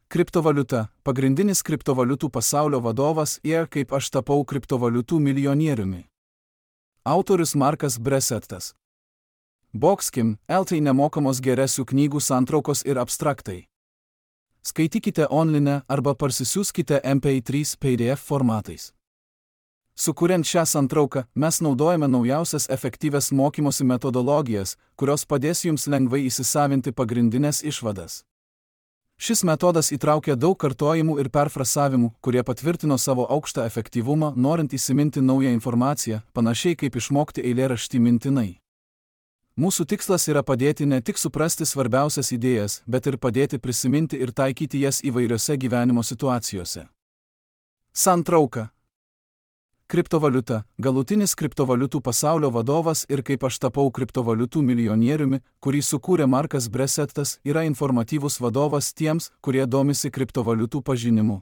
Kriptovaliuta – pagrindinis kriptovaliutų pasaulio vadovas ir kaip aš tapau kriptovaliutų milijonieriumi. Autorius Markas Bresettas. Boxkim, LT nemokamos geresių knygų santraukos ir abstraktai. Skaitykite online arba parsisiųskite MP3 PDF formatais. Sukuriant šią santrauką, mes naudojame naujausias efektyvias mokymosi metodologijas, kurios padės jums lengvai įsisavinti pagrindinės išvadas. Šis metodas įtraukia daug kartojimų ir perfrasavimų, kurie patvirtino savo aukštą efektyvumą, norint įsiminti naują informaciją, panašiai kaip išmokti eilėraštį mintinai. Mūsų tikslas yra padėti ne tik suprasti svarbiausias idėjas, bet ir padėti prisiminti ir taikyti jas įvairiose gyvenimo situacijose. Santrauka. Kriptovaliuta – galutinis kriptovaliutų pasaulio vadovas ir kaip aš tapau kriptovaliutų milijonieriumi, kurį sukūrė Markas Bresettas, yra informatyvus vadovas tiems, kurie domisi kriptovaliutų pažinimu.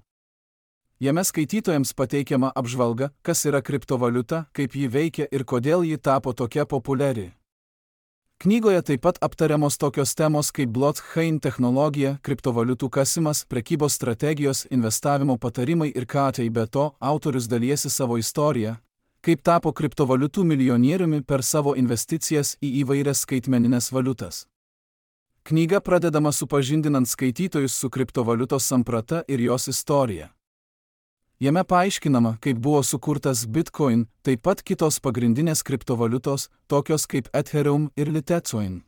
Jame skaitytojams pateikiama apžvalga, kas yra kriptovaliuta, kaip ji veikia ir kodėl ji tapo tokia populiari. Knygoje taip pat aptariamos tokios temos kaip blockchain technologija, kriptovaliutų kasimas, prekybos strategijos, investavimo patarimai ir ką tai be to, autorius dalijasi savo istoriją, kaip tapo kriptovaliutų milijonieriumi per savo investicijas į įvairias skaitmenines valiutas. Knyga pradedama supažindinant skaitytojus su kriptovaliutos samprata ir jos istorija. Jame paaiškinama, kaip buvo sukurtas Bitcoin, taip pat kitos pagrindinės kriptovaliutos, tokios kaip Ethereum ir Litecoin.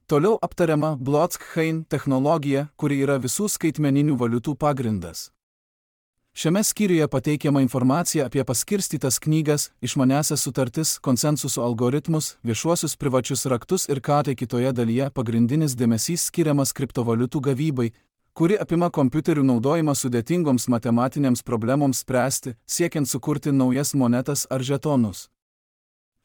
Toliau aptariama blockchain technologija, kuri yra visų skaitmeninių valiutų pagrindas. Šiame skyriuje pateikiama informacija apie paskirstytas knygas, išmaniąsias sutartis, konsensuso algoritmus, viešuosius privačius raktus ir ką tai kitoje dalyje pagrindinis dėmesys skiriamas kriptovaliutų gavybai, kuri apima kompiuterių naudojimą sudėtingoms matematinėms problemoms spręsti, siekiant sukurti naujas monetas ar žetonus.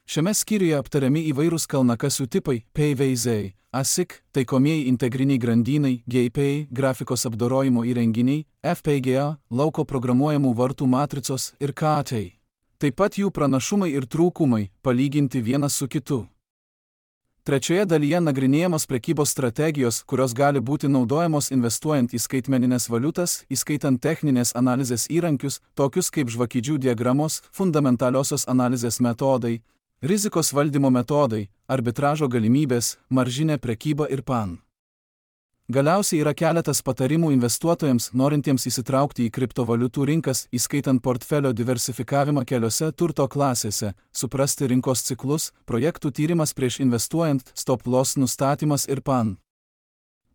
Šiame skyriuje aptariami įvairūs kalnakasių tipai, PVZ, ASIC, taikomieji integriniai grandynai, GPU, grafikos apdorojimo įrenginiai, FPGA, lauko programuojamų vartų matricos ir KT. Taip pat jų pranašumai ir trūkumai, palyginti vienas su kitu. Trečioje dalyje nagrinėjamos prekybos strategijos, kurios gali būti naudojamos investuojant į skaitmenines valiutas, įskaitant techninės analizės įrankius, tokius kaip žvakidžių diagramos, fundamentaliosios analizės metodai, rizikos valdymo metodai, arbitražo galimybės, maržinė prekyba ir PAN. Galiausiai yra keletas patarimų investuotojams, norintiems įsitraukti į kriptovaliutų rinkas, įskaitant portfelio diversifikavimą keliose turto klasėse, suprasti rinkos ciklus, projektų tyrimas prieš investuojant, stop loss nustatymas ir PAN.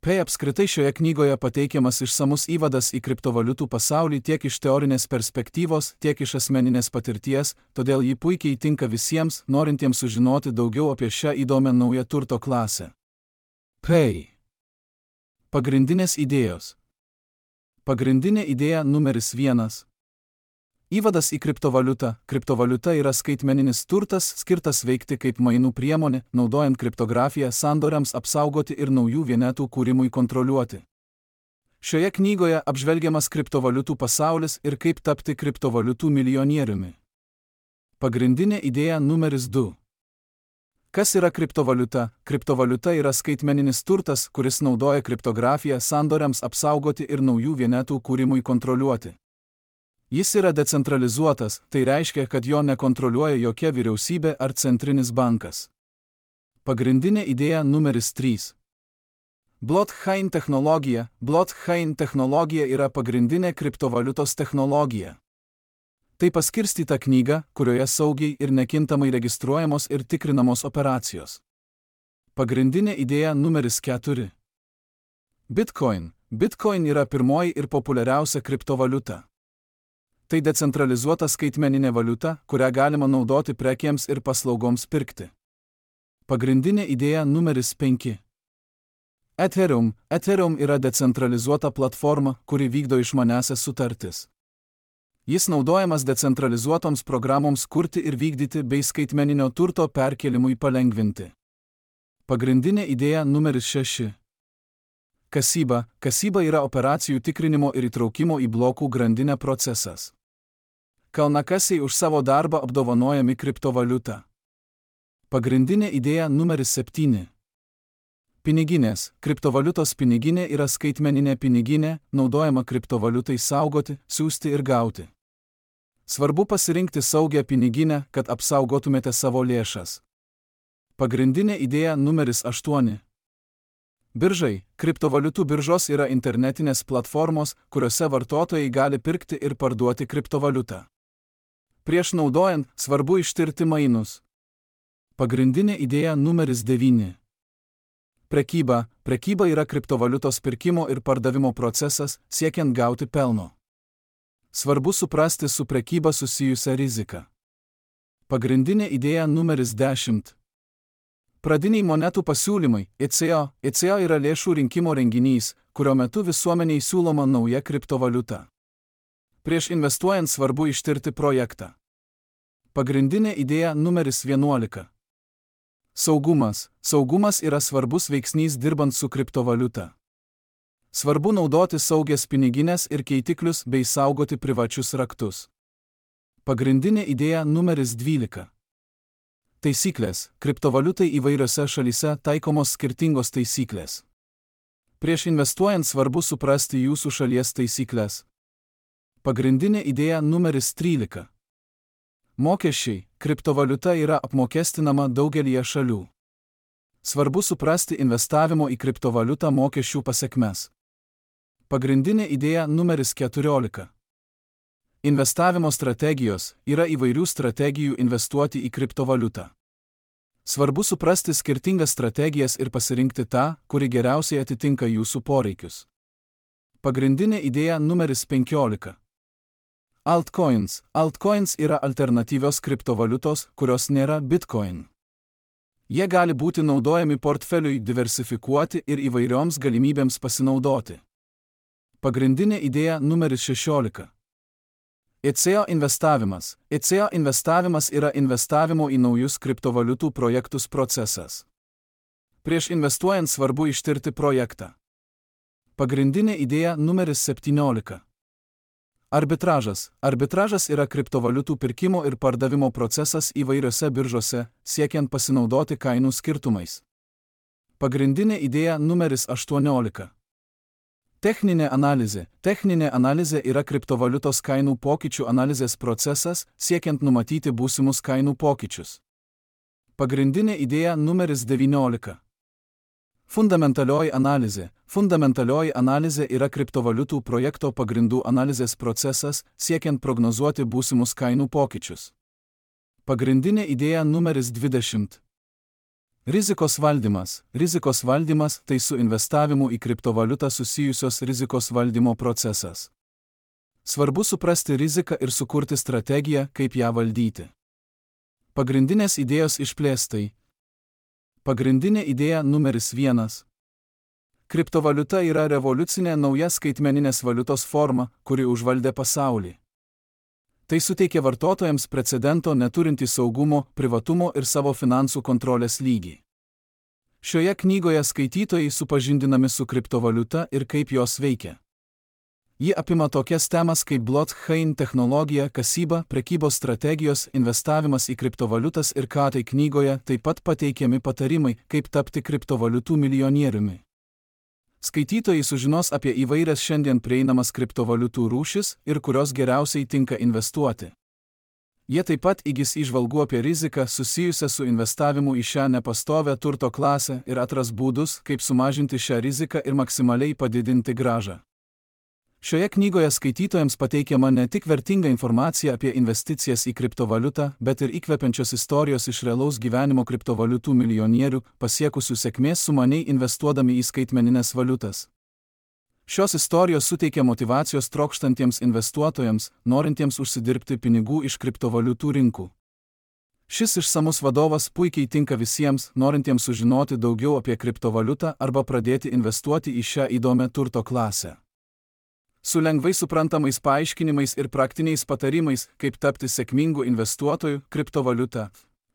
Apskritai šioje knygoje pateikiamas išsamus įvadas į kriptovaliutų pasaulį tiek iš teorinės perspektyvos, tiek iš asmeninės patirties, todėl ji puikiai tinka visiems, norintiems sužinoti daugiau apie šią įdomią naują turto klasę. Pagrindinės idėjos. Pagrindinė idėja numeris 1. Įvadas į kriptovaliutą. Kriptovaliuta yra skaitmeninis turtas, skirtas veikti kaip mainų priemonė, naudojant kriptografiją sandoriams apsaugoti ir naujų vienetų kūrimui kontroliuoti. Šioje knygoje apžvelgiamas kriptovaliutų pasaulis ir kaip tapti kriptovaliutų milijonieriumi. Pagrindinė idėja numeris 2. Kas yra kriptovaliuta? Kriptovaliuta yra skaitmeninis turtas, kuris naudoja kriptografiją sandoriams apsaugoti ir naujų vienetų kūrimui kontroliuoti. Jis yra decentralizuotas, tai reiškia, kad jo nekontroliuoja jokia vyriausybė ar centrinis bankas. Pagrindinė idėja numeris 3. Blockchain technologija. Blockchain technologija yra pagrindinė kriptovaliutos technologija. Tai paskirstyta knyga, kurioje saugiai ir nekintamai registruojamos ir tikrinamos operacijos. Pagrindinė idėja numeris 4. Bitcoin. Bitcoin yra pirmoji ir populiariausia kriptovaliuta. Tai decentralizuota skaitmeninė valiuta, kurią galima naudoti prekėms ir paslaugoms pirkti. Pagrindinė idėja numeris 5. Ethereum. Ethereum yra decentralizuota platforma, kuri vykdo išmaniąsias sutartis. Jis naudojamas decentralizuotoms programoms kurti ir vykdyti bei skaitmeninio turto perkėlimui palengvinti. Pagrindinė idėja numeris 6. Kasyba. Kasyba yra operacijų tikrinimo ir įtraukimo į blokų grandinę procesas. Kalnakasiai už savo darbą apdovanojami kriptovaliuta. Pagrindinė idėja numeris 7. Piniginės. Kriptovaliutos piniginė yra skaitmeninė piniginė, naudojama kriptovaliutai saugoti, siųsti ir gauti. Svarbu pasirinkti saugią piniginę, kad apsaugotumėte savo lėšas. Pagrindinė idėja numeris 8. Biržai. Kriptovaliutų biržos yra internetinės platformos, kuriuose vartotojai gali pirkti ir parduoti kriptovaliutą. Prieš naudojant, svarbu ištirti mainus. Pagrindinė idėja numeris 9. Prekyba. Prekyba yra kriptovaliutos pirkimo ir pardavimo procesas, siekiant gauti pelno. Svarbu suprasti su prekyba susijusią riziką. Pagrindinė idėja numeris 10. Pradiniai monetų pasiūlymai. ECO. ECO yra lėšų rinkimo renginys, kurio metu visuomeniai siūloma nauja kriptovaliuta. Prieš investuojant svarbu ištirti projektą. Pagrindinė idėja numeris 11. Saugumas. Saugumas yra svarbus veiksnys dirbant su kriptovaliuta. Svarbu naudoti saugias piniginės ir keitiklius bei saugoti privačius raktus. Pagrindinė idėja numeris 12. Taisyklės. Kriptovaliutai įvairiose šalyse taikomos skirtingos taisyklės. Prieš investuojant svarbu suprasti jūsų šalies taisyklės. Pagrindinė idėja numeris 13. Mokesčiai. Kriptovaliuta yra apmokestinama daugelyje šalių. Svarbu suprasti investavimo į kriptovaliutą mokesčių pasekmes. Pagrindinė idėja numeris 14. Investavimo strategijos. Yra įvairių strategijų investuoti į kriptovaliutą. Svarbu suprasti skirtingas strategijas ir pasirinkti tą, kuri geriausiai atitinka jūsų poreikius. Pagrindinė idėja numeris 15. Altcoins. Altcoins yra alternatyvios kriptovaliutos, kurios nėra Bitcoin. Jie gali būti naudojami portfeliui diversifikuoti ir įvairioms galimybėms pasinaudoti. Pagrindinė idėja numeris 16. ECO investavimas. ECO investavimas yra investavimo į naujus kriptovaliutų projektus procesas. Prieš investuojant svarbu ištirti projektą. Pagrindinė idėja numeris 17. Arbitražas. Arbitražas yra kriptovaliutų pirkimo ir pardavimo procesas įvairiose biržose, siekiant pasinaudoti kainų skirtumais. Pagrindinė idėja numeris 18. Techninė analizė. Techninė analizė yra kriptovaliutos kainų pokyčių analizės procesas, siekiant numatyti būsimus kainų pokyčius. Pagrindinė idėja numeris 19. Fundamentalioji analizė. Fundamentalioji analizė yra kriptovaliutų projekto pagrindų analizės procesas, siekiant prognozuoti būsimus kainų pokyčius. Pagrindinė idėja numeris 20. Rizikos valdymas. Rizikos valdymas tai su investavimu į kriptovaliutą susijusios rizikos valdymo procesas. Svarbu suprasti riziką ir sukurti strategiją, kaip ją valdyti. Pagrindinės idėjos išplėstai. Pagrindinė idėja numeris 1. Kriptovaliuta yra revoliucinė nauja skaitmeninės valiutos forma, kuri užvaldė pasaulį. Tai suteikia vartotojams precedento neturintį saugumo, privatumo ir savo finansų kontrolės lygį. Šioje knygoje skaitytojai supažindinami su kriptovaliuta ir kaip jos veikia. Ji apima tokias temas kaip blockchain technologija, kasyba, prekybos strategijos, investavimas į kriptovaliutas ir ką tai knygoje taip pat pateikiami patarimai, kaip tapti kriptovaliutų milijonieriumi. Skaitytojai sužinos apie įvairias šiandien prieinamas kriptovaliutų rūšis ir kurios geriausiai tinka investuoti. Jie taip pat įgis įžvalgų apie riziką susijusią su investavimu į šią nepastovią turto klasę ir atras būdus, kaip sumažinti šią riziką ir maksimaliai padidinti grąžą. Šioje knygoje skaitytojams pateikiama ne tik vertinga informacija apie investicijas į kriptovaliutą, bet ir įkvepiančios istorijos iš realaus gyvenimo kriptovaliutų milijonierių, pasiekusių sėkmės sumaniai investuodami į skaitmenines valiutas. Šios istorijos suteikia motyvacijos trokštantiems investuotojams, norintiems užsidirbti pinigų iš kriptovaliutų rinkų. Šis išsamus vadovas puikiai tinka visiems, norintiems sužinoti daugiau apie kriptovaliutą arba pradėti investuoti į šią įdomią turto klasę. Su lengvai suprantamais paaiškinimais ir praktiniais patarimais, kaip tapti sėkmingu investuotoju, kriptovaliuta.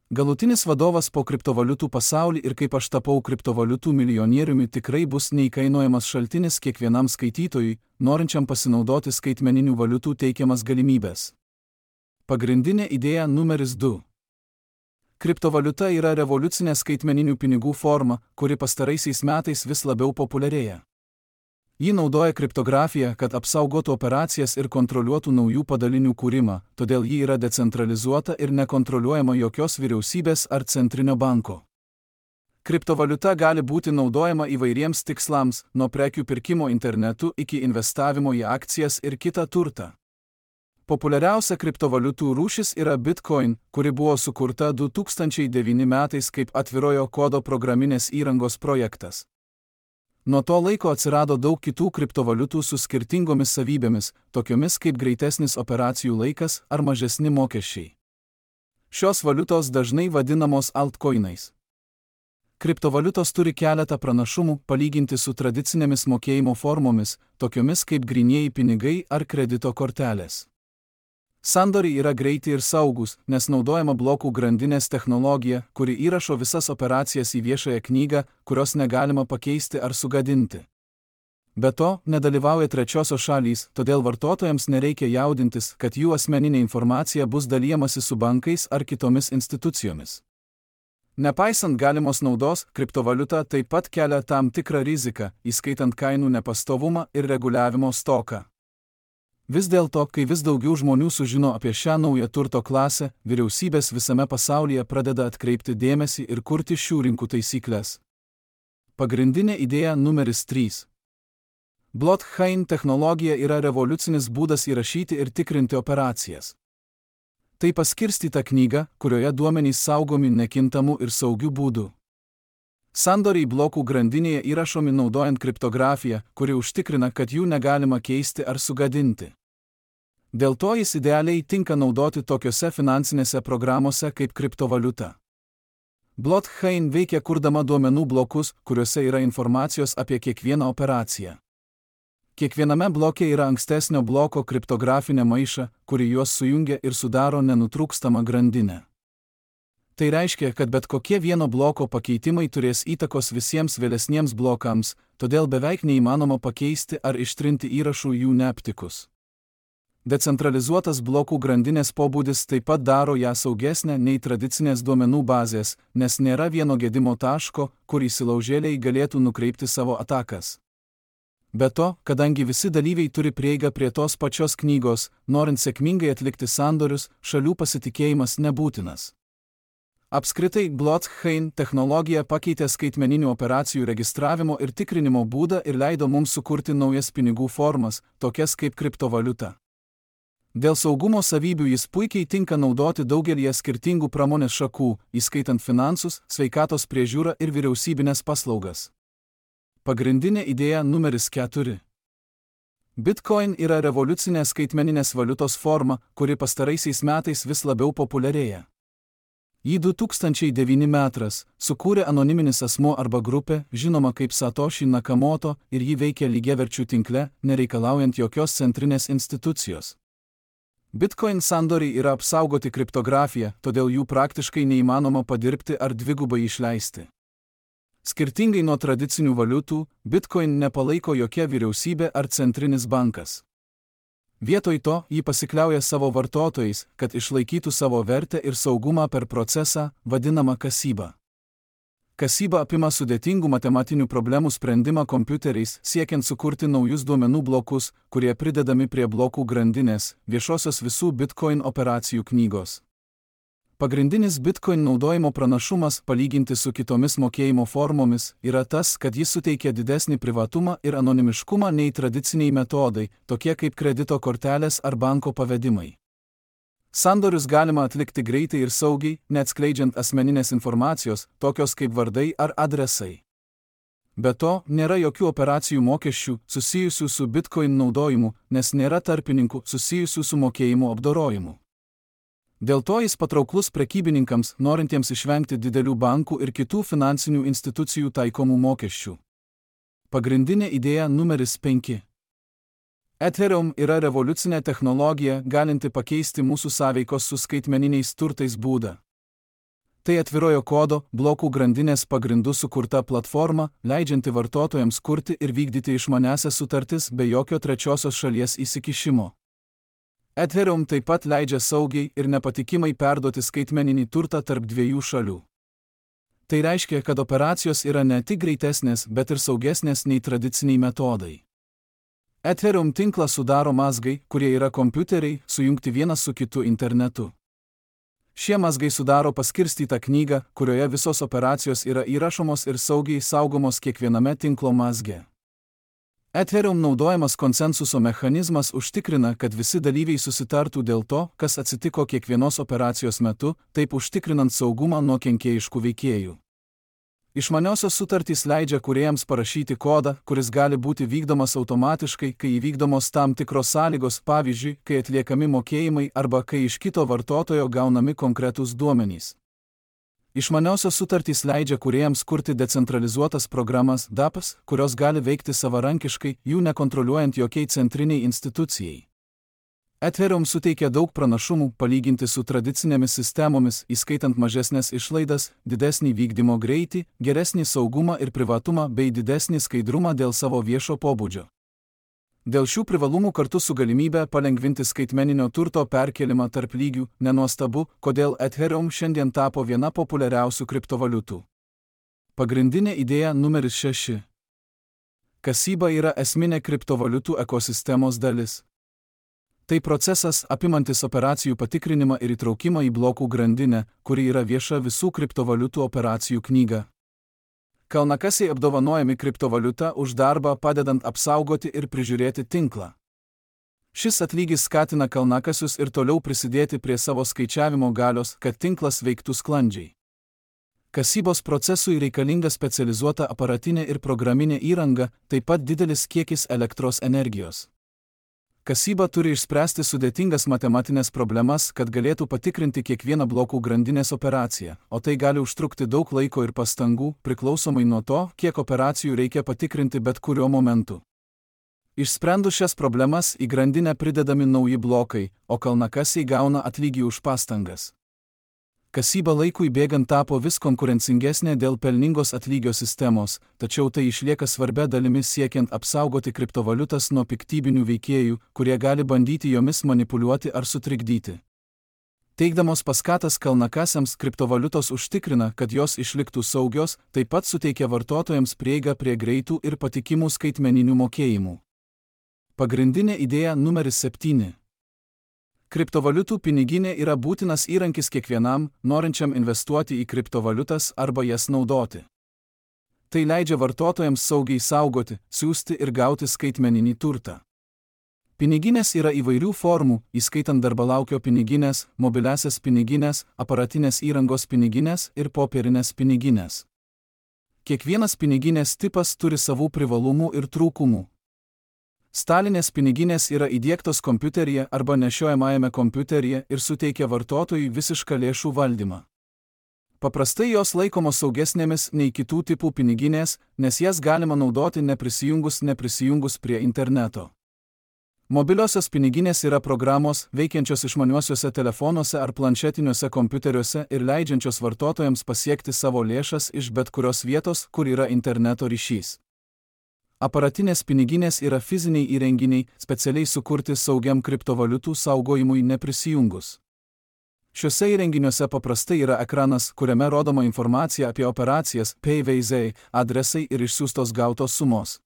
Galutinis vadovas po kriptovaliutų pasaulį ir kaip aš tapau kriptovaliutų milijonieriumi tikrai bus neįkainojamas šaltinis kiekvienam skaitytojui, norinčiam pasinaudoti skaitmeninių valiutų teikiamas galimybės. Pagrindinė idėja numeris 2. Kriptovaliuta yra revoliucinė skaitmeninių pinigų forma, kuri pastaraisiais metais vis labiau populiarėja. Ji naudoja kriptografiją, kad apsaugotų operacijas ir kontroliuotų naujų padalinių kūrimą, todėl ji yra decentralizuota ir nekontroliuojama jokios vyriausybės ar centrinio banko. Kriptovaliuta gali būti naudojama įvairiems tikslams, nuo prekių pirkimo internetu iki investavimo į akcijas ir kitą turtą. Populiariausia kriptovaliutų rūšis yra Bitcoin, kuri buvo sukurta 2009 metais kaip atvirojo kodo programinės įrangos projektas. Nuo to laiko atsirado daug kitų kriptovaliutų su skirtingomis savybėmis, tokiomis kaip greitesnis operacijų laikas ar mažesni mokesčiai. Šios valiutos dažnai vadinamos altcoinais. Kriptovaliutos turi keletą pranašumų palyginti su tradicinėmis mokėjimo formomis, tokiomis kaip grynieji pinigai ar kredito kortelės. Sandoriai yra greiti ir saugus, nes naudojama blokų grandinės technologija, kuri įrašo visas operacijas į viešąją knygą, kurios negalima pakeisti ar sugadinti. Be to, nedalyvauja trečiosios šalys, todėl vartotojams nereikia jaudintis, kad jų asmeninė informacija bus dalijamasi su bankais ar kitomis institucijomis. Nepaisant galimos naudos, kriptovaliuta taip pat kelia tam tikrą riziką, įskaitant kainų nepastovumą ir reguliavimo stoką. Vis dėlto, kai vis daugiau žmonių sužino apie šią naują turto klasę, vyriausybės visame pasaulyje pradeda atkreipti dėmesį ir kurti šių rinkų taisyklės. Pagrindinė idėja numeris 3. Blockchain technologija yra revoliucinis būdas įrašyti ir tikrinti operacijas. Tai paskirstyta knyga, kurioje duomenys saugomi nekintamų ir saugių būdų. Sandoriai blokų grandinėje įrašomi naudojant kriptografiją, kuri užtikrina, kad jų negalima keisti ar sugadinti. Dėl to jis idealiai tinka naudoti tokiose finansinėse programose kaip kriptovaliuta. Blockchain veikia kurdama duomenų blokus, kuriuose yra informacijos apie kiekvieną operaciją. Kiekviename bloke yra ankstesnio bloko kriptografinė maiša, kuri juos sujungia ir sudaro nenutrūkstamą grandinę. Tai reiškia, kad bet kokie vieno bloko pakeitimai turės įtakos visiems vėlesniems blokams, todėl beveik neįmanoma pakeisti ar ištrinti įrašų jų neaptikus. Decentralizuotas blokų grandinės pobūdis taip pat daro ją saugesnę nei tradicinės duomenų bazės, nes nėra vieno gedimo taško, kur įsilaužėliai galėtų nukreipti savo atakas. Be to, kadangi visi dalyviai turi prieigą prie tos pačios knygos, norint sėkmingai atlikti sandorius, šalių pasitikėjimas nebūtinas. Apskritai, blockchain technologija pakeitė skaitmeninių operacijų registravimo ir tikrinimo būdą ir leido mums sukurti naujas pinigų formas, tokias kaip kriptovaliuta. Dėl saugumo savybių jis puikiai tinka naudoti daugelį skirtingų pramonės šakų, įskaitant finansus, sveikatos priežiūrą ir vyriausybinės paslaugas. Pagrindinė idėja numeris 4. Bitcoin yra revoliucinė skaitmeninės valiutos forma, kuri pastaraisiais metais vis labiau populiarėja. Jį 2009 metais sukūrė anoniminis asmuo arba grupė, žinoma kaip Satoshi Nakamoto, ir jį veikia lygiaverčių tinkle, nereikalaujant jokios centrinės institucijos. Bitcoin sandoriai yra apsaugoti kriptografija, todėl jų praktiškai neįmanoma padirbti ar dvigubai išleisti. Skirtingai nuo tradicinių valiutų, Bitcoin nepalaiko jokia vyriausybė ar centrinis bankas. Vietoj to, jį pasikliauja savo vartotojais, kad išlaikytų savo vertę ir saugumą per procesą, vadinamą kasyba. Kasyba apima sudėtingų matematinių problemų sprendimą kompiuteriais, siekiant sukurti naujus duomenų blokus, kurie pridedami prie blokų grandinės, viešosios visų Bitcoin operacijų knygos. Pagrindinis Bitcoin naudojimo pranašumas, palyginti su kitomis mokėjimo formomis, yra tas, kad jis suteikia didesnį privatumą ir anonimiškumą nei tradiciniai metodai, tokie kaip kredito kortelės ar banko pavedimai. Sandorius galima atlikti greitai ir saugiai, neatskleidžiant asmeninės informacijos, tokios kaip vardai ar adresai. Be to, nėra jokių operacijų mokesčių susijusių su Bitcoin naudojimu, nes nėra tarpininkų susijusių su mokėjimo apdorojimu. Dėl to jis patrauklus prekybininkams, norintiems išvengti didelių bankų ir kitų finansinių institucijų taikomų mokesčių. Pagrindinė idėja numeris 5. Ethereum yra revoliucinė technologija, galinti pakeisti mūsų sąveikos su skaitmeniniais turtais būdą. Tai atvirojo kodo, blokų grandinės pagrindų sukurta platforma, leidžianti vartotojams kurti ir vykdyti išmaniąsias sutartis be jokio trečiosios šalies įsikišimo. Ethereum taip pat leidžia saugiai ir nepatikimai perduoti skaitmeninį turtą tarp dviejų šalių. Tai reiškia, kad operacijos yra ne tik greitesnės, bet ir saugesnės nei tradiciniai metodai. Ethereum tinklą sudaro mazgai, kurie yra kompiuteriai, sujungti vienas su kitu internetu. Šie mazgai sudaro paskirstytą knygą, kurioje visos operacijos yra įrašomos ir saugiai saugomos kiekviename tinklo mazge. Ethereum naudojamas konsensuso mechanizmas užtikrina, kad visi dalyviai susitartų dėl to, kas atsitiko kiekvienos operacijos metu, taip užtikrinant saugumą nuo kenkėjiškų veikėjų. Išmaniosios sutartys leidžia kūrėjams parašyti kodą, kuris gali būti vykdomas automatiškai, kai įvykdomos tam tikros sąlygos, pavyzdžiui, kai atliekami mokėjimai arba kai iš kito vartotojo gaunami konkretūs duomenys. Išmaniosios sutartys leidžia kūrėjams kurti decentralizuotas programas DApps, kurios gali veikti savarankiškai, jų nekontroliuojant jokiai centriniai institucijai. Ethereum suteikia daug pranašumų palyginti su tradicinėmis sistemomis, įskaitant mažesnės išlaidas, didesnį vykdymo greitį, geresnį saugumą ir privatumą bei didesnį skaidrumą dėl savo viešo pobūdžio. Dėl šių privalumų kartu su galimybė palengvinti skaitmeninio turto perkelimą tarp lygių, nenuostabu, kodėl Ethereum šiandien tapo viena populiariausių kriptovaliutų. Pagrindinė idėja numeris 6. Kasyba yra esminė kriptovaliutų ekosistemos dalis. Tai procesas apimantis operacijų patikrinimą ir įtraukimą į blokų grandinę, kuri yra vieša visų kriptovaliutų operacijų knyga. Kalnakasiai apdovanojami kriptovaliuta už darbą padedant apsaugoti ir prižiūrėti tinklą. Šis atlygis skatina kalnakasius ir toliau prisidėti prie savo skaičiavimo galios, kad tinklas veiktų sklandžiai. Kasybos procesui reikalinga specializuota aparatinė ir programinė įranga, taip pat didelis kiekis elektros energijos. Kasyba turi išspręsti sudėtingas matematinės problemas, kad galėtų patikrinti kiekvieną blokų grandinės operaciją, o tai gali užtrukti daug laiko ir pastangų, priklausomai nuo to, kiek operacijų reikia patikrinti bet kuriuo momentu. Išsprendus šias problemas į grandinę pridedami nauji blokai, o kalnakasiai gauna atlygį už pastangas. Kasyba laikui bėgant tapo vis konkurencingesnė dėl pelningos atlygio sistemos, tačiau tai išlieka svarbia dalimi siekiant apsaugoti kriptovaliutas nuo piktybinių veikėjų, kurie gali bandyti jomis manipuliuoti ar sutrikdyti. Teikdamos paskatas kalnakasiams, kriptovaliutos užtikrina, kad jos išliktų saugios, taip pat suteikia vartotojams prieigą prie greitų ir patikimų skaitmeninių mokėjimų. Pagrindinė idėja numeris 7. Kriptovaliutų piniginė yra būtinas įrankis kiekvienam, norinčiam investuoti į kriptovaliutas arba jas naudoti. Tai leidžia vartotojams saugiai saugoti, siųsti ir gauti skaitmeninį turtą. Piniginės yra įvairių formų, įskaitant darbalaukio piniginės, mobiliasias piniginės, aparatinės įrangos piniginės ir popierinės piniginės. Kiekvienas piniginės tipas turi savų privalumų ir trūkumų. Stalinės piniginės yra įdiegtos kompiuteryje arba nešiojamajame kompiuteryje ir suteikia vartotojui visišką lėšų valdymą. Paprastai jos laikomos saugesnėmis nei kitų tipų piniginės, nes jas galima naudoti neprisijungus prie interneto. Mobiliosios piniginės yra programos, veikiančios išmaniuosiuose telefonuose ar planšetiniuose kompiuteriuose ir leidžiančios vartotojams pasiekti savo lėšas iš bet kurios vietos, kur yra interneto ryšys. Aparatinės piniginės yra fiziniai įrenginiai, specialiai sukurti saugiam kriptovaliutų saugojimui neprisijungus. Šiuose įrenginiuose paprastai yra ekranas, kuriame rodoma informacija apie operacijas, PVZ, adresai ir išsiųstos gautos sumos.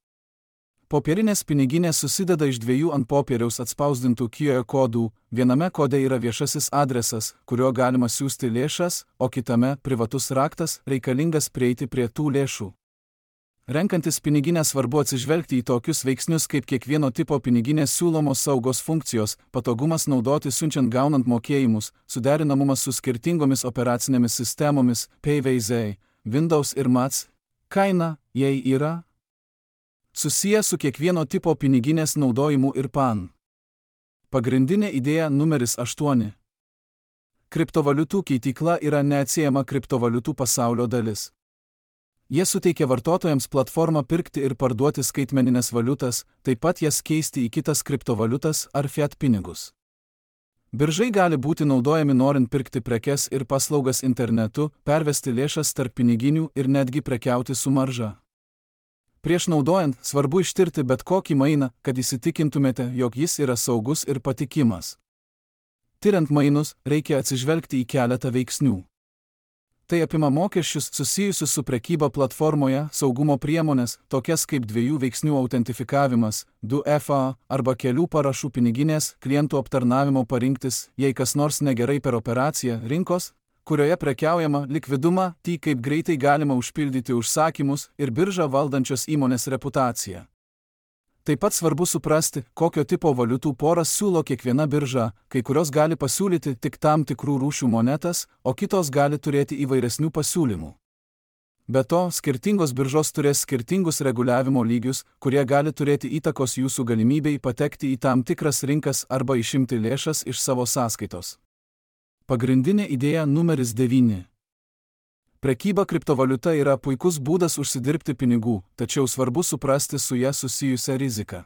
Popierinės piniginės susideda iš dviejų ant popieriaus atspausdintų QR kodų, viename kode yra viešasis adresas, kuriuo galima siųsti lėšas, o kitame privatus raktas, reikalingas prieiti prie tų lėšų. Renkantis piniginę svarbu atsižvelgti į tokius veiksnius kaip kiekvieno tipo piniginės siūlomos saugos funkcijos, patogumas naudoti siunčiant gaunant mokėjimus, suderinamumas su skirtingomis operacinėmis sistemomis, PVZ, Windows ir Mac, kaina, jei yra, susiję su kiekvieno tipo piniginės naudojimu ir PAN. Pagrindinė idėja numeris 8. Kriptovaliutų keitykla yra neatsiejama kriptovaliutų pasaulio dalis. Jie suteikia vartotojams platformą pirkti ir parduoti skaitmeninės valiutas, taip pat jas keisti į kitas kriptovaliutas ar fiat pinigus. Biržai gali būti naudojami norint pirkti prekes ir paslaugas internetu, pervesti lėšas tarp piniginių ir netgi prekiauti su marža. Prieš naudojant, svarbu ištirti bet kokį mainą, kad įsitikintumėte, jog jis yra saugus ir patikimas. Tiriant mainus, reikia atsižvelgti į keletą veiksnių. Tai apima mokesčius susijusius su prekyba platformoje, saugumo priemonės, tokias kaip dviejų veiksnių autentifikavimas, 2FA arba kelių parašų piniginės, klientų aptarnavimo parinktis, jei kas nors negerai per operaciją, rinkos, kurioje prekiaujama, likvidumą, kaip greitai galima užpildyti užsakymus ir biržą valdančios įmonės reputaciją. Taip pat svarbu suprasti, kokio tipo valiutų poras siūlo kiekviena birža, kai kurios gali pasiūlyti tik tam tikrų rūšių monetas, o kitos gali turėti įvairesnių pasiūlymų. Be to, skirtingos biržos turės skirtingus reguliavimo lygius, kurie gali turėti įtakos jūsų galimybei patekti į tam tikras rinkas arba išimti lėšas iš savo sąskaitos. Pagrindinė idėja numeris 9. Prekyba kriptovaliuta yra puikus būdas užsidirbti pinigų, tačiau svarbu suprasti su ja susijusią riziką.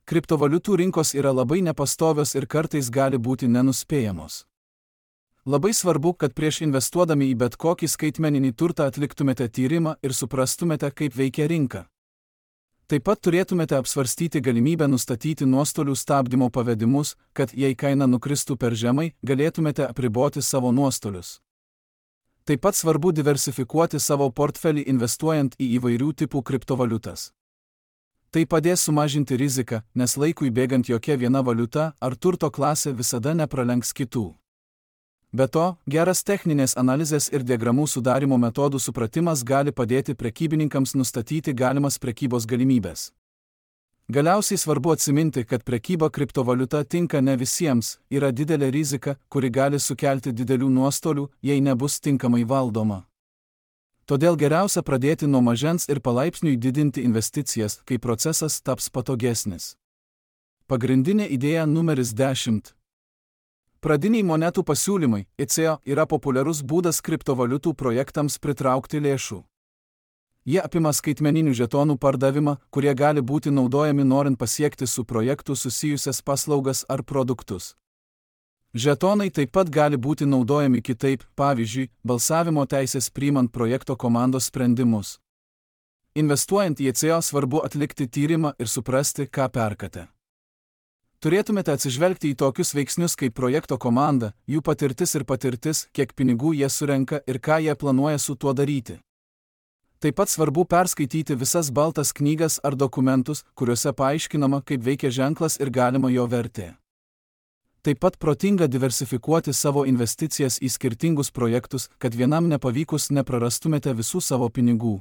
Kriptovaliutų rinkos yra labai nepastovios ir kartais gali būti nenuspėjamos. Labai svarbu, kad prieš investuodami į bet kokį skaitmeninį turtą atliktumėte tyrimą ir suprastumėte, kaip veikia rinka. Taip pat turėtumėte apsvarstyti galimybę nustatyti nuostolių stabdymo pavedimus, kad jei kaina nukristų per žemai, galėtumėte apriboti savo nuostolius. Taip pat svarbu diversifikuoti savo portfelį investuojant į įvairių tipų kriptovaliutas. Tai padės sumažinti riziką, nes laikui bėgant jokia viena valiuta ar turto klasė visada nepralenks kitų. Be to, geras techninės analizės ir diagramų sudarimo metodų supratimas gali padėti prekybininkams nustatyti galimas prekybos galimybės. Galiausiai svarbu atsiminti, kad prekyba kriptovaliuta tinka ne visiems, yra didelė rizika, kuri gali sukelti didelių nuostolių, jei nebus tinkamai valdoma. Todėl geriausia pradėti nuo mažens ir palaipsniui didinti investicijas, kai procesas taps patogesnis. Pagrindinė idėja numeris 10. Pradiniai monetų pasiūlymai, ICO, yra populiarus būdas kriptovaliutų projektams pritraukti lėšų. Jie apima skaitmeninių žetonų pardavimą, kurie gali būti naudojami norint pasiekti su projektu susijusias paslaugas ar produktus. Žetonai taip pat gali būti naudojami kitaip, pavyzdžiui, balsavimo teisės priimant projekto komandos sprendimus. Investuojant į ICO svarbu atlikti tyrimą ir suprasti, ką perkate. Turėtumėte atsižvelgti į tokius veiksnius kaip projekto komanda, jų patirtis, kiek pinigų jie surenka ir ką jie planuoja su tuo daryti. Taip pat svarbu perskaityti visas baltas knygas ar dokumentus, kuriuose paaiškinama, kaip veikia ženklas ir galima jo vertė. Taip pat protinga diversifikuoti savo investicijas į skirtingus projektus, kad vienam nepavykus neprarastumėte visų savo pinigų.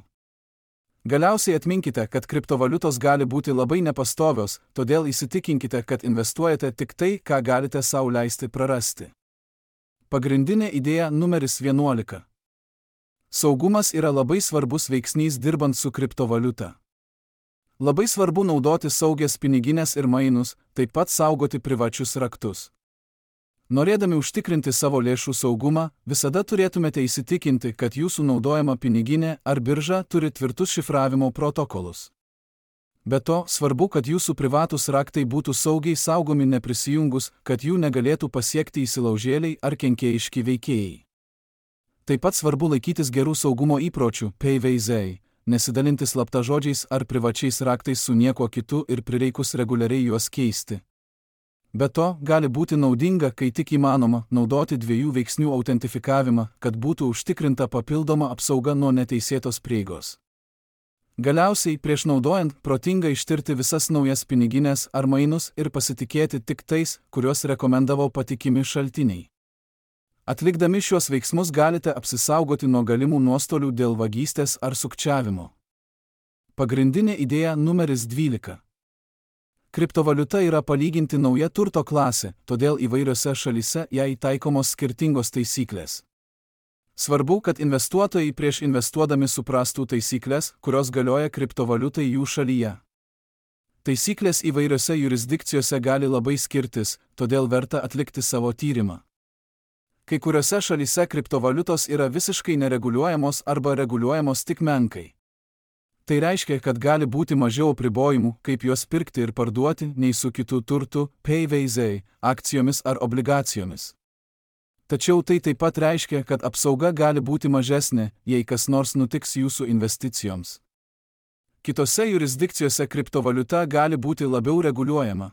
Galiausiai atminkite, kad kriptovaliutos gali būti labai nepastovios, todėl įsitikinkite, kad investuojate tik tai, ką galite sau leisti prarasti. Pagrindinė idėja numeris 11. Saugumas yra labai svarbus veiksnys dirbant su kriptovaliuta. Labai svarbu naudoti saugias piniginės ir mainus, taip pat saugoti privačius raktus. Norėdami užtikrinti savo lėšų saugumą, visada turėtumėte įsitikinti, kad jūsų naudojama piniginė ar birža turi tvirtus šifravimo protokolus. Be to, svarbu, kad jūsų privatūs raktai būtų saugiai saugomi neprisijungus, kad jų negalėtų pasiekti įsilaužėliai ar kenkėjiški veikėjai. Taip pat svarbu laikytis gerų saugumo įpročių, PVZ, nesidalinti slaptažodžiais ar privačiais raktais su niekuo kitu ir prireikus reguliariai juos keisti. Be to, gali būti naudinga, kai tik įmanoma, naudoti dviejų veiksnių autentifikavimą, kad būtų užtikrinta papildoma apsauga nuo neteisėtos prieigos. Galiausiai, prieš naudojant, protinga ištirti visas naujas piniginės ar mainus ir pasitikėti tik tais, kuriuos rekomendavo patikimi šaltiniai. Atlikdami šiuos veiksmus galite apsisaugoti nuo galimų nuostolių dėl vagystės ar sukčiavimo. Pagrindinė idėja numeris 12. Kriptovaliuta yra palyginti nauja turto klasė, todėl įvairiose šalyse jai taikomos skirtingos taisyklės. Svarbu, kad investuotojai prieš investuodami suprastų taisyklės, kurios galioja kriptovaliutai jų šalyje. Taisyklės įvairiose jurisdikcijose gali labai skirtis, todėl verta atlikti savo tyrimą. Kai kuriuose šalyse kriptovaliutos yra visiškai nereguliuojamos arba reguliuojamos tik menkai. Tai reiškia, kad gali būti mažiau apribojimų, kaip juos pirkti ir parduoti, nei su kitų turtų, PVZ, akcijomis ar obligacijomis. Tačiau tai taip pat reiškia, kad apsauga gali būti mažesnė, jei kas nors nutiks jūsų investicijoms. Kitose jurisdikcijose kriptovaliuta gali būti labiau reguliuojama.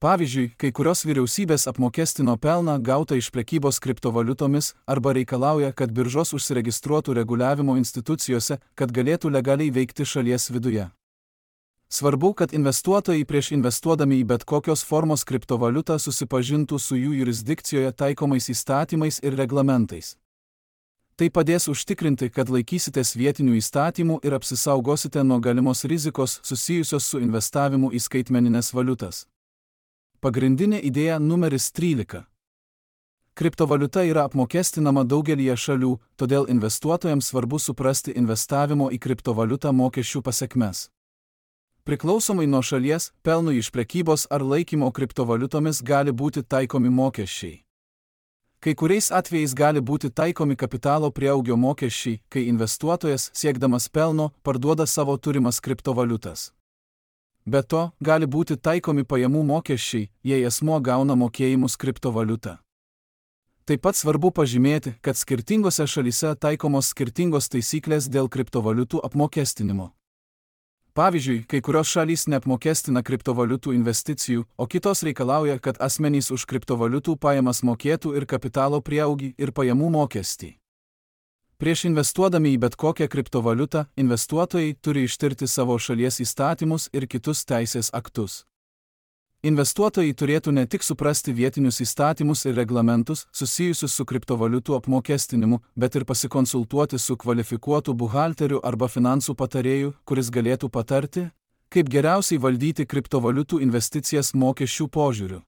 Pavyzdžiui, kai kurios vyriausybės apmokestino pelną gautą iš prekybos kriptovaliutomis arba reikalauja, kad biržos užsiregistruotų reguliavimo institucijose, kad galėtų legaliai veikti šalies viduje. Svarbu, kad investuotojai prieš investuodami į bet kokios formos kriptovaliutą susipažintų su jų jurisdikcijoje taikomais įstatymais ir reglamentais. Tai padės užtikrinti, kad laikysitės vietinių įstatymų ir apsisaugosite nuo galimos rizikos susijusios su investavimu į skaitmeninės valiutas. Pagrindinė idėja numeris 13. Kriptovaliuta yra apmokestinama daugelyje šalių, todėl investuotojams svarbu suprasti investavimo į kriptovaliutą mokesčių pasekmes. Priklausomai nuo šalies, pelnui iš prekybos ar laikymo kriptovaliutomis gali būti taikomi mokesčiai. Kai kuriais atvejais gali būti taikomi kapitalo prieaugio mokesčiai, kai investuotojas, siekdamas pelno, parduoda savo turimas kriptovaliutas. Be to, gali būti taikomi pajamų mokesčiai, jei asmuo gauna mokėjimus kriptovaliutą. Taip pat svarbu pažymėti, kad skirtingose šalyse taikomos skirtingos taisyklės dėl kriptovaliutų apmokestinimo. Pavyzdžiui, kai kurios šalys neapmokestina kriptovaliutų investicijų, o kitos reikalauja, kad asmenys už kriptovaliutų pajamas mokėtų ir kapitalo prieaugį ir pajamų mokestį. Prieš investuodami į bet kokią kriptovaliutą, investuotojai turi ištirti savo šalies įstatymus ir kitus teisės aktus. Investuotojai turėtų ne tik suprasti vietinius įstatymus ir reglamentus susijusius su kriptovaliutų apmokestinimu, bet ir pasikonsultuoti su kvalifikuotu buhalteriu arba finansų patarėju, kuris galėtų patarti, kaip geriausiai valdyti kriptovaliutų investicijas mokesčių požiūriu.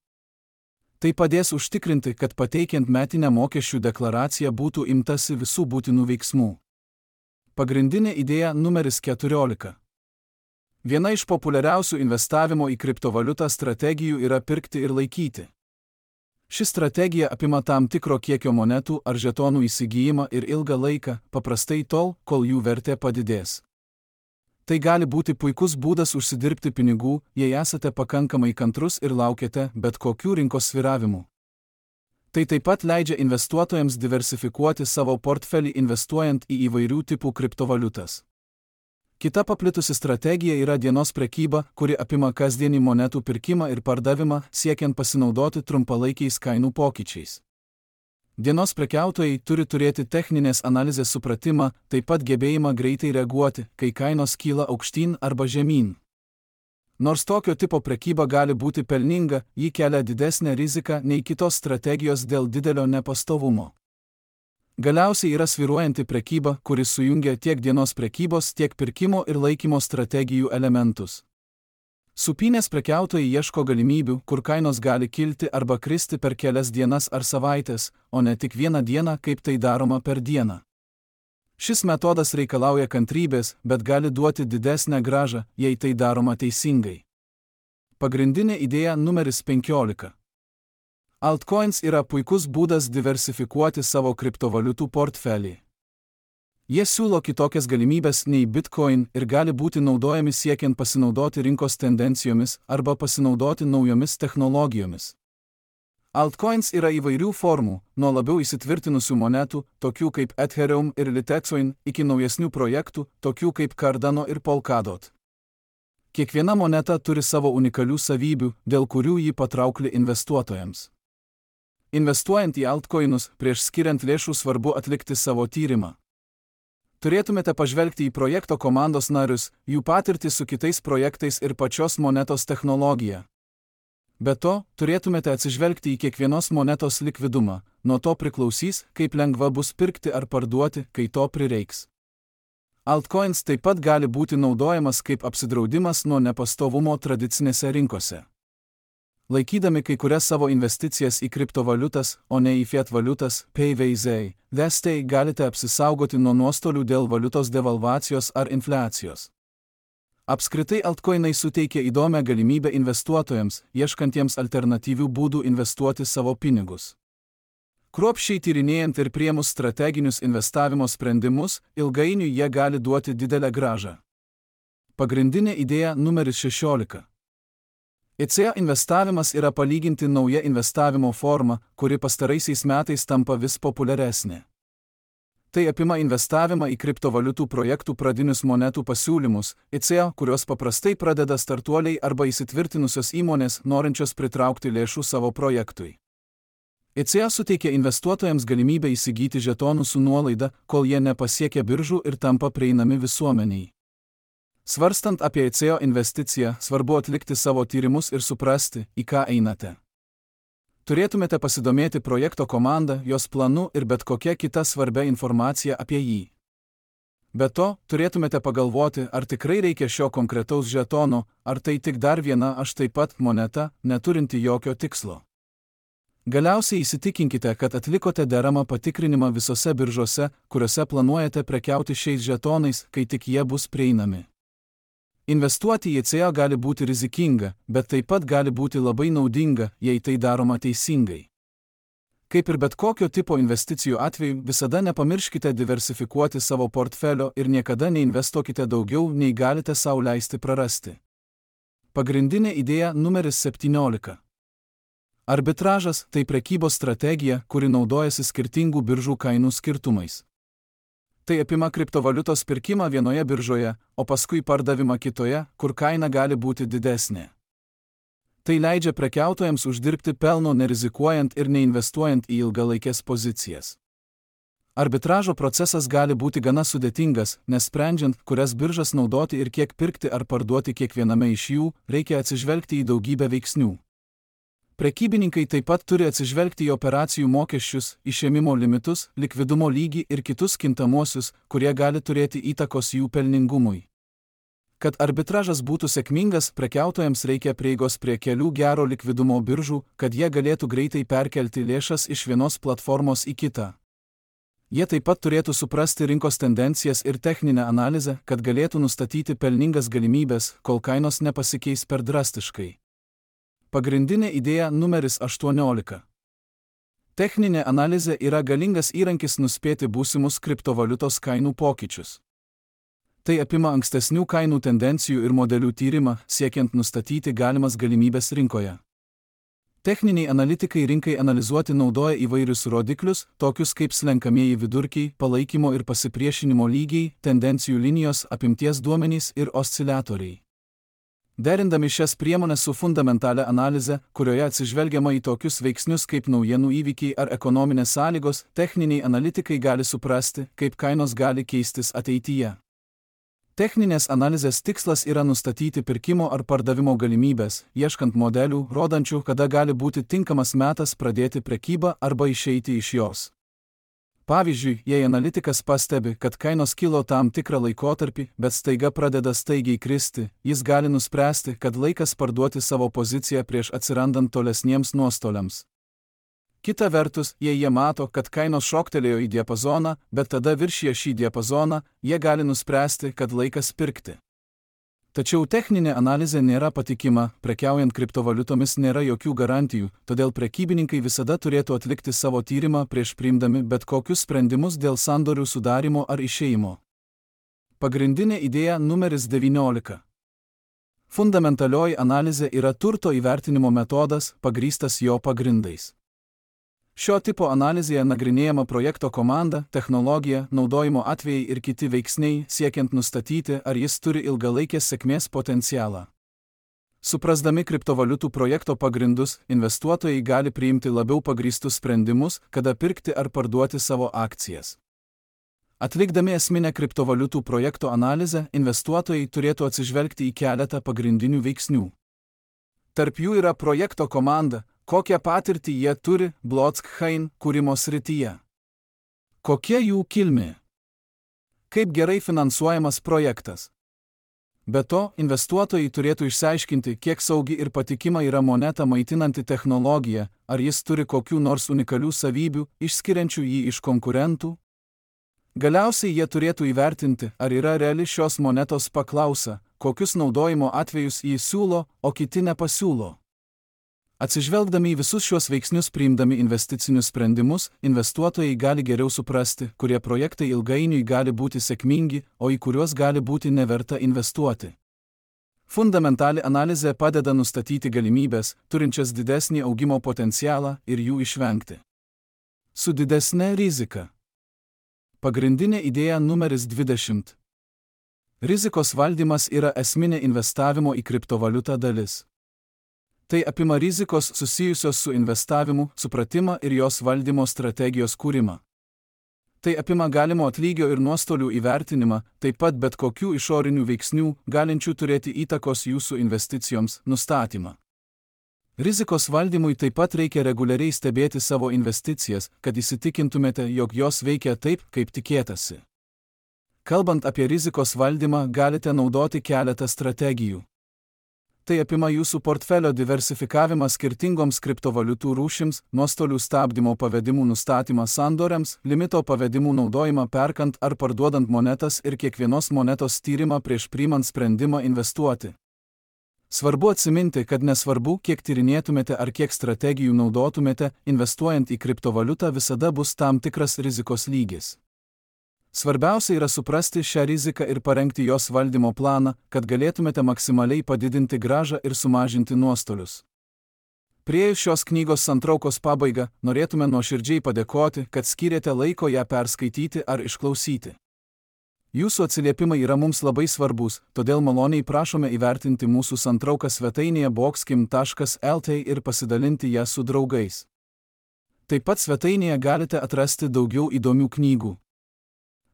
Tai padės užtikrinti, kad pateikiant metinę mokesčių deklaraciją būtų imtasi visų būtinų veiksmų. Pagrindinė idėja numeris 14. Viena iš populiariausių investavimo į kriptovaliutą strategijų yra pirkti ir laikyti. Ši strategija apima tam tikro kiekio monetų ar žetonų įsigijimą ir ilgą laiką, paprastai tol, kol jų vertė padidės. Tai gali būti puikus būdas užsidirbti pinigų, jei esate pakankamai kantrus ir laukiate bet kokių rinkos svyravimų. Tai taip pat leidžia investuotojams diversifikuoti savo portfelį investuojant į įvairių tipų kriptovaliutas. Kita paplitusi strategija yra dienos prekyba, kuri apima kasdienį monetų pirkimą ir pardavimą, siekiant pasinaudoti trumpalaikiais kainų pokyčiais. Dienos prekiautojai turi turėti techninės analizės supratimą, taip pat gebėjimą greitai reaguoti, kai kainos kyla aukštyn arba žemyn. Nors tokio tipo prekyba gali būti pelninga, ji kelia didesnę riziką nei kitos strategijos dėl didelio nepastovumo. Galiausiai yra svyruojanti prekyba, kuris sujungia tiek dienos prekybos, tiek pirkimo ir laikymo strategijų elementus. Supynės prekiautojai ieško galimybių, kur kainos gali kilti arba kristi per kelias dienas ar savaitės, o ne tik vieną dieną, kaip tai daroma per dieną. Šis metodas reikalauja kantrybės, bet gali duoti didesnę grąžą, jei tai daroma teisingai. Pagrindinė idėja numeris 15. Altcoins yra puikus būdas diversifikuoti savo kriptovaliutų portfelį. Jie siūlo kitokias galimybės nei Bitcoin ir gali būti naudojami siekiant pasinaudoti rinkos tendencijomis arba pasinaudoti naujomis technologijomis. Altcoins yra įvairių formų, nuo labiau įsitvirtinusių monetų, tokių kaip Ethereum ir Litecoin, iki naujesnių projektų, tokių kaip Cardano ir Polkadot. Kiekviena moneta turi savo unikalių savybių, dėl kurių ji patraukli investuotojams. Investuojant į altcoinus, prieš skiriant lėšų svarbu atlikti savo tyrimą. Turėtumėte pažvelgti į projekto komandos narius, jų patirtį su kitais projektais ir pačios monetos technologiją. Be to, turėtumėte atsižvelgti į kiekvienos monetos likvidumą, nuo to priklausys, kaip lengva bus pirkti ar parduoti, kai to prireiks. Altcoins taip pat gali būti naudojamas kaip apsidraudimas nuo nepastovumo tradicinėse rinkose. Laikydami kai kurias savo investicijas į kriptovaliutas, o ne į fiat valiutas, PVZ, galite apsisaugoti nuo nuostolių dėl valiutos devalvacijos ar infliacijos. Apskritai altcoinai suteikia įdomią galimybę investuotojams, ieškantiems alternatyvių būdų investuoti savo pinigus. Kruopščiai tyrinėjant ir priėmus strateginius investavimo sprendimus, ilgainiui jie gali duoti didelę grąžą. Pagrindinė idėja numeris 16. ECA investavimas yra palyginti nauja investavimo forma, kuri pastaraisiais metais tampa vis populiaresnė. Tai apima investavimą į kriptovaliutų projektų pradinius monetų pasiūlymus, ICO, kurios paprastai pradeda startuoliai arba įsitvirtinusios įmonės, norinčios pritraukti lėšų savo projektui. ICO suteikia investuotojams galimybę įsigyti žetonų su nuolaida, kol jie nepasiekia biržų ir tampa prieinami visuomeniai. Svarstant apie ICO investiciją, svarbu atlikti savo tyrimus ir suprasti, į ką einate. Turėtumėte pasidomėti projekto komandą, jos planu ir bet kokia kita svarbia informacija apie jį. Be to, turėtumėte pagalvoti, ar tikrai reikia šio konkretaus žetono, ar tai tik dar viena aš taip pat moneta, neturinti jokio tikslo. Galiausiai įsitikinkite, kad atlikote deramą patikrinimą visose biržose, kuriuose planuojate prekiauti šiais žetonais, kai tik jie bus prieinami. Investuoti į ICO gali būti rizikinga, bet taip pat gali būti labai naudinga, jei tai daroma teisingai. Kaip ir bet kokio tipo investicijų atveju, visada nepamirškite diversifikuoti savo portfelio ir niekada neinvestuokite daugiau, nei galite sau leisti prarasti. Pagrindinė idėja numeris 17. Arbitražas – tai prekybos strategija, kuri naudojasi skirtingų biržų kainų skirtumais. Tai apima kriptovaliutos pirkimą vienoje biržoje, o paskui pardavimą kitoje, kur kaina gali būti didesnė. Tai leidžia prekiautojams uždirbti pelno nerizikuojant ir neinvestuojant į ilgalaikės pozicijas. Arbitražo procesas gali būti gana sudėtingas, nes sprendžiant, kurias biržas naudoti ir kiek pirkti ar parduoti kiekviename iš jų, reikia atsižvelgti į daugybę veiksnių. Prekybininkai taip pat turi atsižvelgti į operacijų mokesčius, išėmimo limitus, likvidumo lygį ir kitus kintamuosius, kurie gali turėti įtakos jų pelningumui. Kad arbitražas būtų sėkmingas, prekiautojams reikia prieigos prie kelių gero likvidumo biržų, kad jie galėtų greitai perkelti lėšas iš vienos platformos į kitą. Jie taip pat turėtų suprasti rinkos tendencijas ir techninę analizę, kad galėtų nustatyti pelningas galimybės, kol kainos nepasikeis per drastiškai. Pagrindinė idėja numeris 18. Techninė analizė yra galingas įrankis nuspėti būsimus kriptovaliutos kainų pokyčius. Tai apima ankstesnių kainų tendencijų ir modelių tyrimą, siekiant nustatyti galimas galimybės rinkoje. Techniniai analitikai rinkai analizuoti naudoja įvairius rodiklius, tokius kaip slenkamieji vidurkiai, palaikymo ir pasipriešinimo lygiai, tendencijų linijos, apimties duomenys ir osciliatoriai. Derindami šias priemones su fundamentalia analize, kurioje atsižvelgiama į tokius veiksnius kaip naujienų įvykiai ar ekonominės sąlygos, techniniai analitikai gali suprasti, kaip kainos gali keistis ateityje. Techninės analizės tikslas yra nustatyti pirkimo ar pardavimo galimybės, ieškant modelių, rodančių, kada gali būti tinkamas metas pradėti prekybą arba išeiti iš jos. Pavyzdžiui, jei analitikas pastebi, kad kainos kilo tam tikrą laikotarpį, bet staiga pradeda staigiai kristi, jis gali nuspręsti, kad laikas parduoti savo poziciją prieš atsirandant tolesniems nuostoliams. Kita vertus, jei jie mato, kad kainos šoktelėjo į diapazoną, bet tada viršija šį diapazoną, jie gali nuspręsti, kad laikas pirkti. Tačiau techninė analizė nėra patikima, prekiaujant kriptovaliutomis nėra jokių garantijų, todėl prekybininkai visada turėtų atlikti savo tyrimą prieš priimdami bet kokius sprendimus dėl sandorių sudarimo ar išėjimo. Pagrindinė idėja numeris 19. Fundamentalioji analizė yra turto įvertinimo metodas, pagrįstas jo pagrindais. Šio tipo analizėje nagrinėjama projekto komanda, technologija, naudojimo atvejai ir kiti veiksniai, siekiant nustatyti, ar jis turi ilgalaikės sėkmės potencialą. Suprasdami kriptovaliutų projekto pagrindus, investuotojai gali priimti labiau pagrįstus sprendimus, kada pirkti ar parduoti savo akcijas. Atlikdami esminę kriptovaliutų projekto analizę, investuotojai turėtų atsižvelgti į keletą pagrindinių veiksnių. Tarp jų yra projekto komanda, kokią patirtį jie turi blockchain kūrimo srityje. Kokia jų kilmė? Kaip gerai finansuojamas projektas? Be to, investuotojai turėtų išsiaiškinti, kiek saugi ir patikima yra moneta maitinanti technologija, ar jis turi kokių nors unikalių savybių, išskiriančių jį iš konkurentų. Galiausiai jie turėtų įvertinti, ar yra reali šios monetos paklausa, kokius naudojimo atvejus jį siūlo, o kiti nepasiūlo. Atsižvelgdami į visus šios veiksnius priimdami investicinius sprendimus, investuotojai gali geriau suprasti, kurie projektai ilgainiui gali būti sėkmingi, o į kuriuos gali būti neverta investuoti. Fundamentali analizė padeda nustatyti galimybės, turinčias didesnį augimo potencialą ir jų išvengti. Su didesne rizika. Pagrindinė idėja numeris 20. Rizikos valdymas yra esminė investavimo į kriptovaliutą dalis. Tai apima rizikos susijusios su investavimu, supratimą ir jos valdymo strategijos kūrimą. Tai apima galimo atlygio ir nuostolių įvertinimą, taip pat bet kokių išorinių veiksnių, galinčių turėti įtakos jūsų investicijoms, nustatymą. Rizikos valdymui taip pat reikia reguliariai stebėti savo investicijas, kad įsitikintumėte, jog jos veikia taip, kaip tikėtasi. Kalbant apie rizikos valdymą, galite naudoti keletą strategijų. Tai apima jūsų portfelio diversifikavimą skirtingoms kriptovaliutų rūšims, nuostolių stabdymo pavedimų nustatymą sandoriams, limito pavedimų naudojimą perkant ar parduodant monetas ir kiekvienos monetos tyrimą prieš priimant sprendimą investuoti. Svarbu atsiminti, kad nesvarbu, kiek tyrinėtumėte ar kiek strategijų naudotumėte, investuojant į kriptovaliutą visada bus tam tikras rizikos lygis. Svarbiausia yra suprasti šią riziką ir parengti jos valdymo planą, kad galėtumėte maksimaliai padidinti grąžą ir sumažinti nuostolius. Priėjus šios knygos santraukos pabaigą, norėtume nuoširdžiai padėkoti, kad skyrėte laiko ją perskaityti ar išklausyti. Jūsų atsiliepimai yra mums labai svarbus, todėl maloniai prašome įvertinti mūsų santrauką svetainėje boxkim.lt ir pasidalinti ją su draugais. Taip pat svetainėje galite atrasti daugiau įdomių knygų.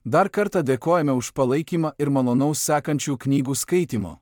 Dar kartą dėkojame už palaikymą ir malonaus sekančių knygų skaitymo.